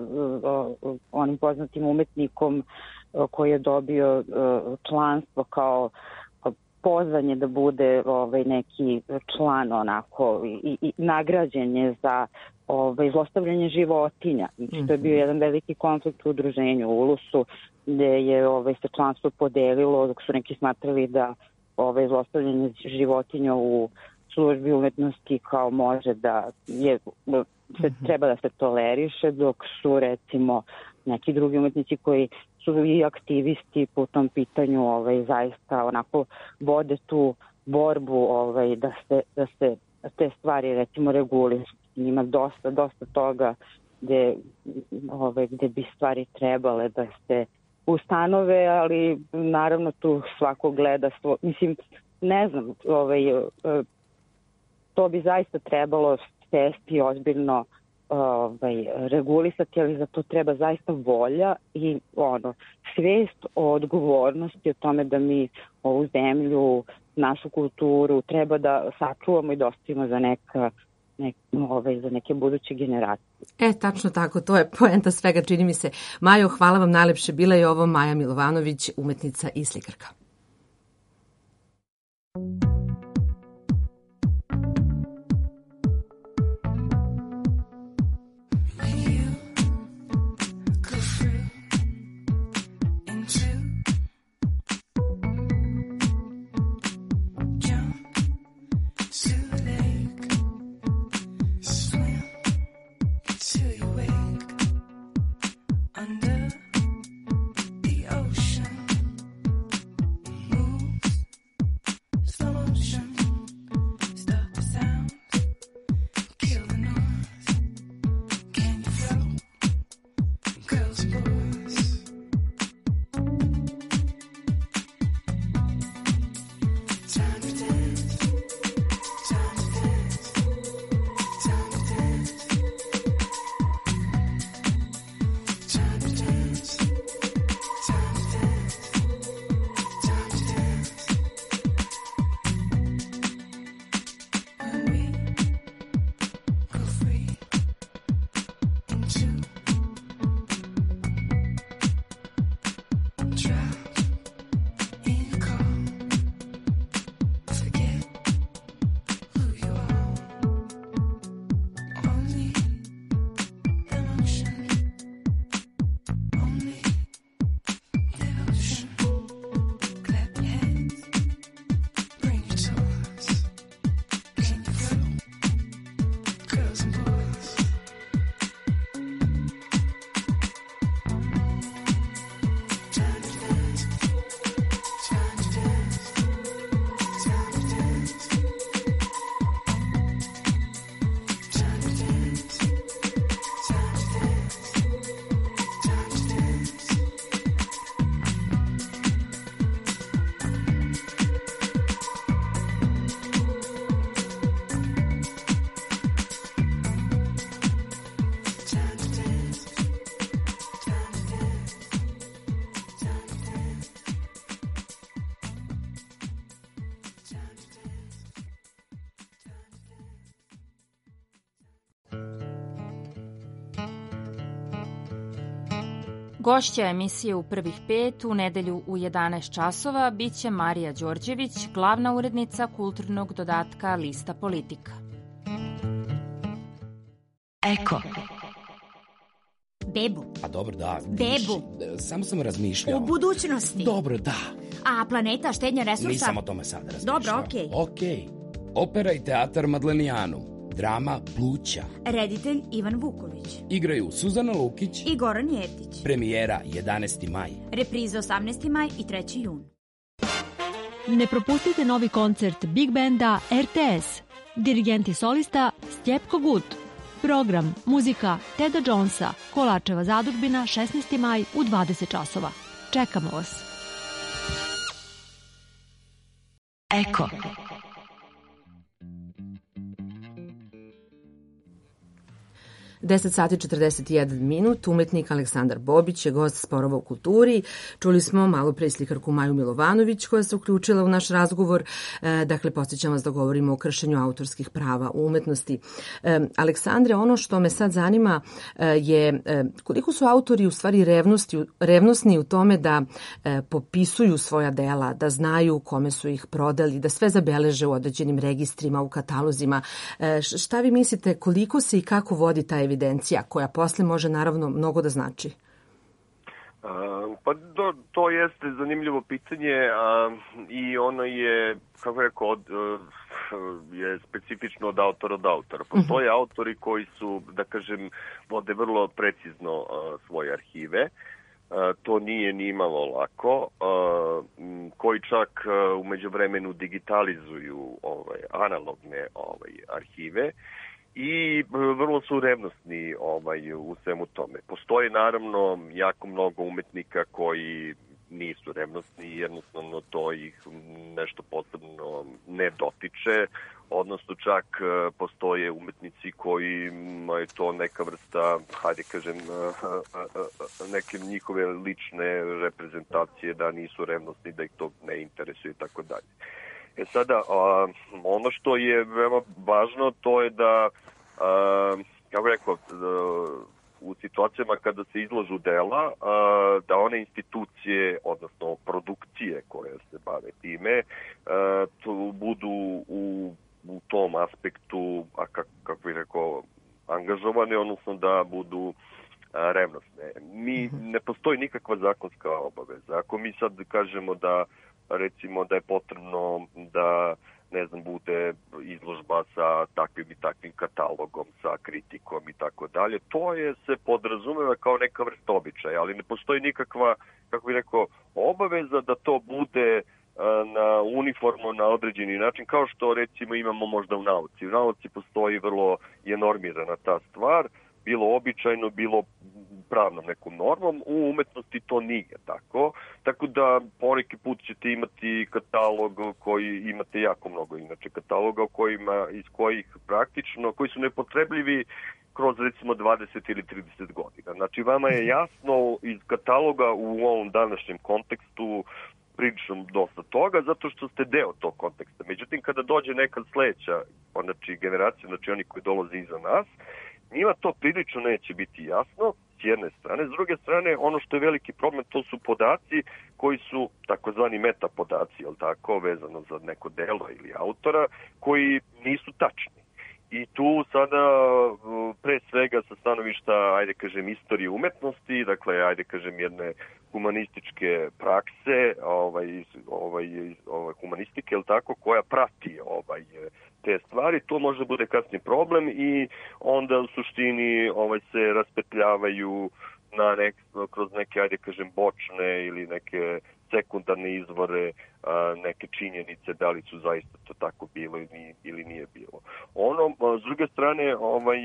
Speaker 4: uh, onim poznatim umetnikom uh, koji je dobio uh, članstvo kao pozvanje da bude ovaj, neki član onako i, i nagrađen je za ovaj, zlostavljanje životinja. Znači, to je bio jedan veliki konflikt u udruženju u Ulusu gde je ovaj, se članstvo podelilo dok su neki smatrali da ovaj, zlostavljanje životinja u službi umetnosti kao može da je, se, treba da se toleriše, dok su recimo neki drugi umetnici koji su i aktivisti po tom pitanju ovaj, zaista onako vode tu borbu ovaj, da, se, da se te stvari recimo regulišu. Ima dosta, dosta toga gde, ovaj, gde bi stvari trebale da se ustanove, ali naravno tu svako gleda svo, mislim, ne znam, ovaj, to bi zaista trebalo sesti ozbiljno ovaj, regulisati, ali za to treba zaista volja i ono, svest o odgovornosti o tome da mi ovu zemlju, našu kulturu treba da sačuvamo i da ostavimo za neka Nek, ove, za neke buduće generacije.
Speaker 2: E, tačno tako, to je poenta svega, čini mi se. Majo, hvala vam najlepše. Bila je ovo Maja Milovanović, umetnica i slikarka.
Speaker 5: Gošća emisije u prvih pet u nedelju u jedanaest časova biće Marija Đorđević, glavna urednica kulturnog dodatka Lista Politika.
Speaker 6: Eko.
Speaker 7: Bebu.
Speaker 6: Pa dobro, da.
Speaker 7: Bebu.
Speaker 6: Samo sam razmišljao.
Speaker 7: U budućnosti.
Speaker 6: Dobro, da.
Speaker 7: A planeta, štednja resursa?
Speaker 6: Nisam o tome sad razmišljao.
Speaker 7: Dobro, okej.
Speaker 6: Okay. Okej. Okay. Opera i teatar Madlenijanu. Drama Pluća.
Speaker 7: Reditelj Ivan Vuković.
Speaker 6: Igraju Suzana Lukić
Speaker 7: i Goran Jeftić.
Speaker 6: Premijera jedanaesti maj.
Speaker 7: Repriza osamnaesti maj i treći jun.
Speaker 8: Ne propustite novi koncert Big Banda R T S. dirigent i solista Stjepko Gut. Program muzika Teda Jonesa, Kolačeva zadužbina, šesnaesti maj u dvadeset časova. Čekamo vas.
Speaker 9: Eko.
Speaker 2: deset sati četrdeset jedan minut, umetnik Aleksandar Bobić je gost Sporova u kulturi. Čuli smo malo pre slikarku Maju Milovanović koja se uključila u naš razgovor. E, dakle, podsjećam vas da govorimo o kršenju autorskih prava u umetnosti. E, Aleksandre, ono što me sad zanima e, je e, koliko su autori u stvari revnosti, revnosni u tome da e, popisuju svoja dela, da znaju kome su ih prodali, da sve zabeleže u određenim registrima, u katalozima. E, šta vi mislite, koliko se i kako vodi ta evidencija evidencija koja posle može naravno mnogo da znači?
Speaker 3: A, pa to, to jeste zanimljivo pitanje a, i ono je, kako rekao, od, je specifično od autora od autora. Postoje uh-huh. autori koji su, da kažem, vode vrlo precizno a, svoje arhive. A, to nije ni malo lako, a, koji čak a, u međuvremenu digitalizuju ovaj, analogne ovaj, arhive. I vrlo su revnosni ovaj, u svemu tome. Postoje naravno jako mnogo umetnika koji nisu revnosni, jednostavno to ih nešto posebno ne dotiče, odnosno čak postoje umetnici koji je to neka vrsta, hajde kažem, neke njihove lične reprezentacije da nisu revnosni, da ih to ne interesuje i tako dalje. E sada, a, ono što je veoma važno, to je da, a, kako rekao, u situacijama kada se izlažu dela, a, da one institucije, odnosno produkcije koje se bave time, a, tu budu u, u tom aspektu, a kak, kako bih rekao, angažovane, odnosno da budu a, revnosne. Mi, ne postoji nikakva zakonska obaveza. Ako mi sad kažemo da recimo da je potrebno da, ne znam, bude izložba sa takvim i takvim katalogom, sa kritikom i tako dalje. To je se podrazumeva kao neka vrsta običaja, ali ne postoji nikakva, kako bih rekao, obaveza da to bude na uniformno na određeni način, kao što recimo imamo možda u nauci. U nauci postoji vrlo je normirana ta stvar, bilo običajno, bilo pravnom nekom normom, u umetnosti to nije tako, tako da poneki put ćete imati katalog koji imate jako mnogo inače kataloga u kojima, iz kojih praktično, koji su nepotrebljivi kroz recimo dvadeset ili trideset godina. Znači vama je jasno iz kataloga u ovom današnjem kontekstu prilično dosta toga, zato što ste deo tog konteksta. Međutim, kada dođe neka sledeća znači, generacija, znači oni koji dolaze iza nas, njima to prilično neće biti jasno, s jedne strane. S druge strane, ono što je veliki problem, to su podaci koji su takozvani meta podaci, jel tako, vezano za neko delo ili autora, koji nisu tačni. I tu sada, pre svega sa stanovišta, ajde kažem, istorije umetnosti, dakle, ajde kažem, jedne humanističke prakse, ovaj, ovaj, ovaj, humanistike, jel tako, koja prati ovaj, te stvari, to može da bude kasni problem i onda u suštini ovaj, se raspetljavaju na nek, kroz neke, ajde kažem, bočne ili neke sekundarne izvore, a, neke činjenice, da li su zaista to tako bilo ili, ili nije bilo. Ono, s druge strane, ovaj,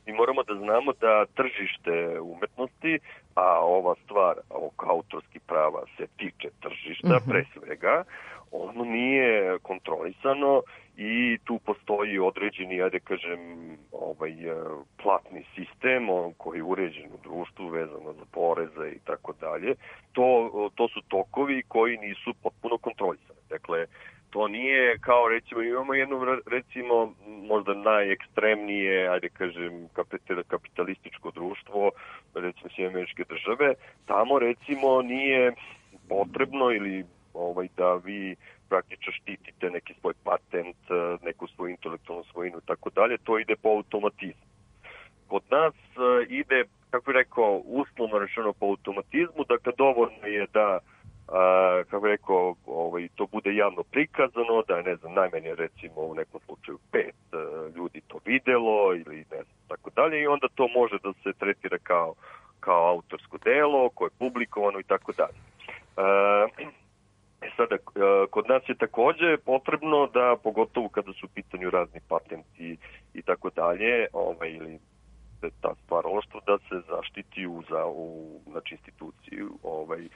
Speaker 3: mi moramo da znamo da tržište umetnosti, a ova stvar ovog autorskih prava se tiče tržišta, mm-hmm. pre svega, ono nije kontrolisano i tu postoji određeni, ja da kažem, ovaj, platni sistem on koji je uređen u društvu vezano za poreze i tako dalje. To, to su tokovi koji nisu potpuno kontrolisani. Dakle, to nije kao recimo, imamo jedno recimo možda najekstremnije, ajde kažem, kapitalističko društvo, recimo Sjedinjene Američke Države, tamo recimo nije potrebno ili ovaj, da vi praktično štitite neki svoj patent, neku svoju intelektualnu svojinu i tako dalje, to ide po automatizmu. Kod nas ide, kako bih rekao, uslovno rečeno po automatizmu, dakle dovoljno je da A, kako je rekao, ovaj, to bude javno prikazano, da je, ne znam, najmanje recimo u nekom slučaju pet uh, ljudi to videlo ili ne znam, tako dalje i onda to može da se tretira kao, kao autorsko delo koje je publikovano i tako dalje. E sada, uh, kod nas je takođe potrebno da, pogotovo kada su u pitanju raz, dalje, ovaj, ili ta stvaralaštvo da se zaštiti u, za, u znači, instituciju ovaj,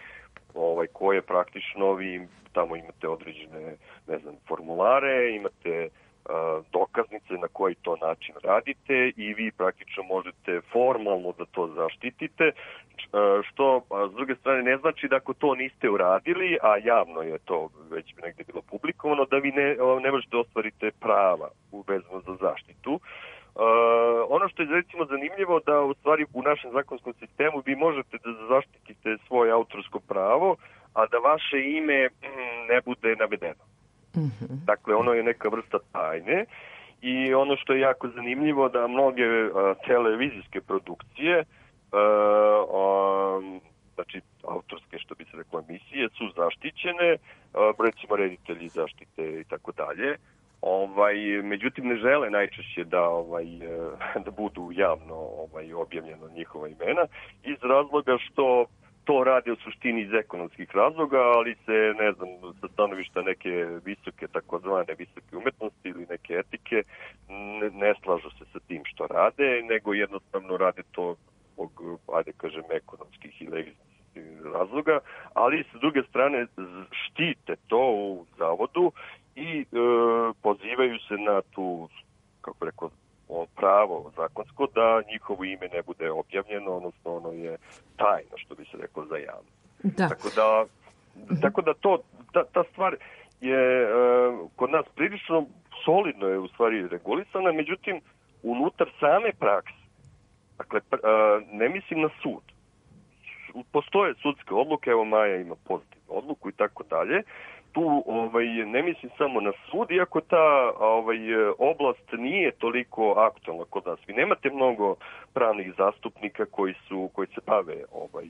Speaker 3: ovaj, koje praktično vi tamo imate određene, ne znam, formulare, imate uh, dokaznice na koji to način radite i vi praktično možete formalno da to zaštitite, uh, što a, s druge strane ne znači da ako to niste uradili, a javno je to već negde bilo publikovano, da vi ne, ne možete ostvarite prava vezano za zaštitu. Uh, ono što je recimo zanimljivo da u stvari u našem zakonskom sistemu vi možete da zaštitite svoje autorsko pravo, a da vaše ime mm, ne bude navedeno. Mm-hmm. Dakle, ono je neka vrsta tajne i ono što je jako zanimljivo da mnoge uh, televizijske produkcije, uh, um, znači autorske što bi se reklo emisije, su zaštićene, uh, recimo reditelji zaštite i tako dalje. Ovaj, međutim, ne žele najčešće da, ovaj, da budu javno ovaj, objavljeno njihova imena iz razloga što to rade u suštini iz ekonomskih razloga, ali se, ne znam, sa stanovišta neke visoke, takozvane visoke umetnosti ili neke etike, ne, ne slažu se sa tim što rade, nego jednostavno rade to zbog, ajde kažem, ekonomskih ili egzistencijalnih razloga, ali sa druge strane štite to u zavodu i e, pozivaju se na tu, kako rekao, pravo zakonsko da njihovo ime ne bude objavljeno, odnosno ono je tajno, što bi se reklo, za javno. Da. Tako da, mm-hmm. tako da to, ta, ta stvar je e, kod nas prilično solidno je u stvari regulisana, međutim, unutar same prakse, dakle, e, ne mislim na sud, postoje sudske odluke, evo Maja ima pozitivnu odluku i tako dalje, tu ovaj, ne mislim samo na sud, iako ta ovaj, oblast nije toliko aktualna kod nas. Vi nemate mnogo pravnih zastupnika koji su koji se bave ovaj,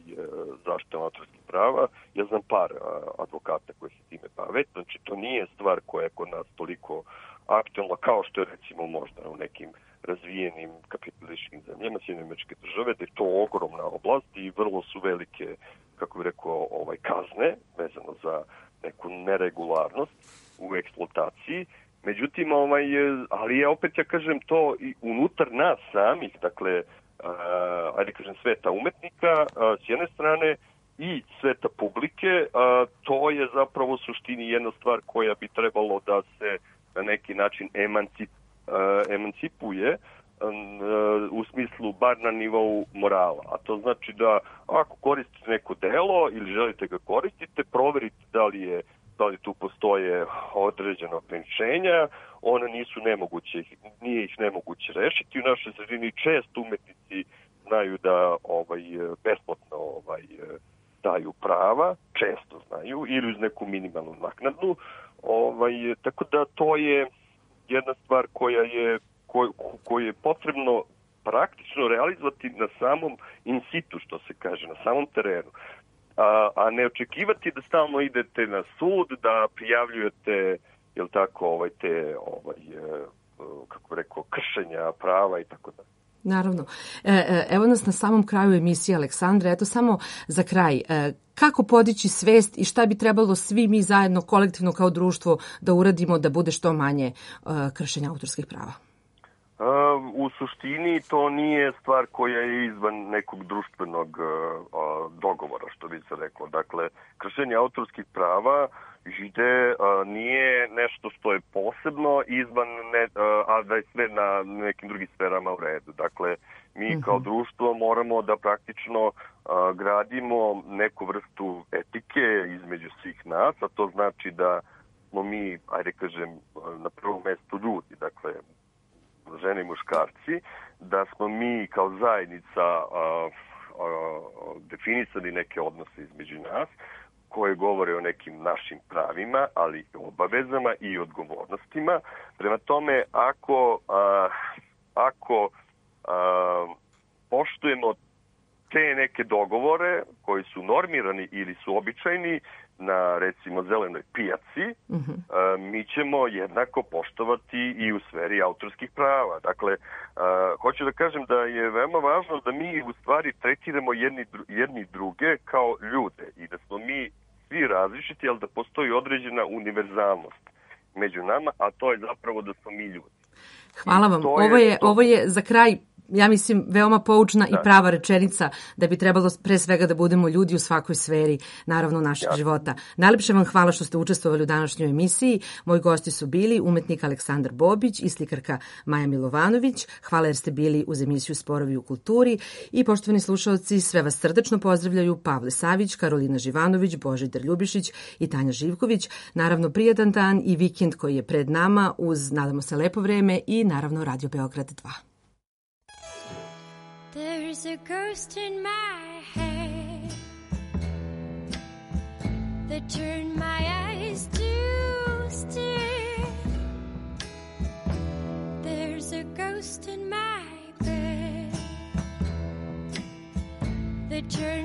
Speaker 3: zaštitom autorskih prava. Ja znam par advokata koji se time bave. Znači, to nije stvar koja je kod nas toliko aktualna kao što je recimo možda u nekim razvijenim kapitalističkim zemljama, Sjedinjene Američke Države, da je to ogromna oblast i vrlo su velike, kako bih rekao, ovaj, kazne vezano za neku neregularnost u eksploataciji. Međutim, ovaj, ali ja opet ja kažem to i unutar nas samih, dakle, a, ajde kažem sveta umetnika a, s jedne strane i sveta publike, a, to je zapravo u suštini jedna stvar koja bi trebalo da se na neki način emancip, a, emancipuje u smislu bar na nivou morala. A to znači da ako koristite neko delo ili želite ga koristite, proverite da li je da li tu postoje određena ograničenja, one nisu nemoguće, nije ih nemoguće rešiti. U našoj sredini često umetnici znaju da ovaj besplatno ovaj daju prava, često znaju, ili uz neku minimalnu naknadu. Ovaj, tako da to je jedna stvar koja je koje je potrebno praktično realizovati na samom in situ, što se kaže, na samom terenu. A, a ne očekivati da stalno idete na sud, da prijavljujete, jel tako, ovaj, te, ovaj, kako rekao, kršenja prava i tako da.
Speaker 2: Naravno. E, evo nas na samom kraju emisije, Aleksandra. Eto samo za kraj. E, kako podići svest i šta bi trebalo svi mi zajedno, kolektivno kao društvo, da uradimo da bude što manje e, kršenja autorskih prava?
Speaker 3: U suštini to nije stvar koja je izvan nekog društvenog dogovora, što bi se reklo. Dakle, kršenje autorskih prava žide nije nešto što je posebno izvan, ne, a da je sve na nekim drugim sferama u redu. Dakle, mi kao društvo moramo da praktično gradimo neku vrstu etike između svih nas, a to znači da smo mi, ajde kažem, na prvom mestu ljudi, dakle, žene i muškarci, da smo mi kao zajednica a, a, definisali neke odnose između nas koje govore o nekim našim pravima, ali i obavezama i odgovornostima. Prema tome, ako, a, ako a, poštujemo te neke dogovore koji su normirani ili su običajni na, recimo, zelenoj pijaci, uh-huh. a, mi ćemo jednako poštovati i u sferi autorskih prava. Dakle, a, hoću da kažem da je veoma važno da mi u stvari tretiramo jedni, jedni druge kao ljude i da smo mi svi različiti, ali da postoji određena univerzalnost među nama, a to je zapravo da smo mi ljudi.
Speaker 2: Hvala vam. Ovo je, ovo je za kraj, ja mislim, veoma poučna da. i prava rečenica da bi trebalo pre svega da budemo ljudi u svakoj sferi, naravno, našeg ja. života. Najlepše vam hvala što ste učestvovali u današnjoj emisiji. Moji gosti su bili umetnik Aleksandar Bobić i slikarka Maja Milovanović. Hvala jer ste bili uz emisiju Sporovi u kulturi. I poštovani slušalci, sve vas srdačno pozdravljaju Pavle Savić, Karolina Živanović, Božidar Ljubišić i Tanja Živković. Naravno, prijatan dan i vikend koji je pred nama uz, nadamo se, lepo vreme i naravno Radio Beograd dva.
Speaker 10: There's a ghost in my head that turned my eyes to stare. There's a ghost in my bed that turned